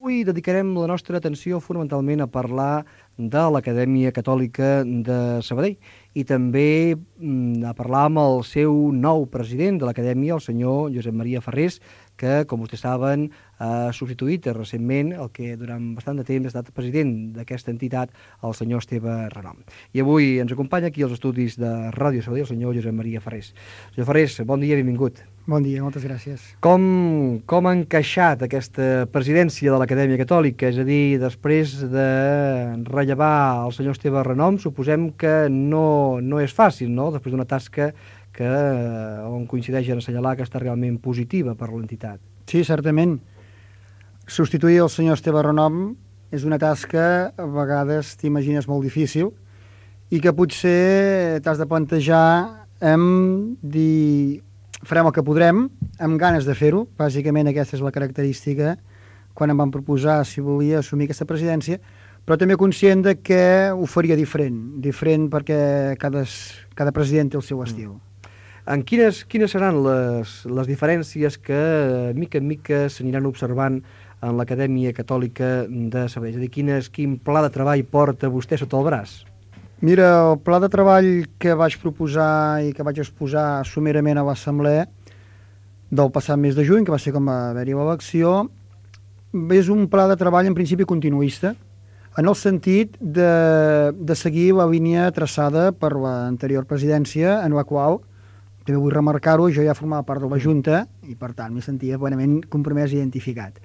Avui dedicarem la nostra atenció fonamentalment a parlar de l'Acadèmia Catòlica de Sabadell i també a parlar amb el seu nou president de l'Acadèmia, el senyor Josep Maria Ferrés, que, com vostès saben, ha substituït recentment el que durant bastant de temps ha estat president d'aquesta entitat, el senyor Esteve Renom. I avui ens acompanya aquí als estudis de Ràdio Sabadell el senyor Josep Maria Ferrés. Senyor Ferrés, bon dia, benvingut. Bon dia, moltes gràcies. Com ha encaixat aquesta presidència de l'Acadèmia Catòlica? És a dir, després de rellevar el senyor Esteve Renom, suposem que no és fàcil, no?, després d'una tasca on coincideixen a assenyalar que està realment positiva per l'entitat. Sí, certament. Substituir el senyor Esteve Renom és una tasca, a vegades t'imagines, molt difícil i que potser t'has de plantejar dir farem el que podrem, amb ganes de fer-ho. Bàsicament aquesta és la característica quan em van proposar si volia assumir aquesta presidència, però també conscient de que ho faria diferent perquè cada president té el seu estil. En quines seran les diferències que mica en mica s'aniran observant en l'Acadèmia Catòlica de Sabadell? És a dir, quin pla de treball porta vostè sota el braç? Mira, el pla de treball que vaig proposar i que vaig exposar somerament a l'Assemblea del passat mes de juny, que va ser com va haver-hi l'elecció, és un pla de treball en principi continuista, en el sentit de seguir la línia traçada per l'anterior presidència, en la qual, també vull remarcar-ho, jo ja formava part de la Junta i, per tant, m'hi sentia plenament compromès i identificat.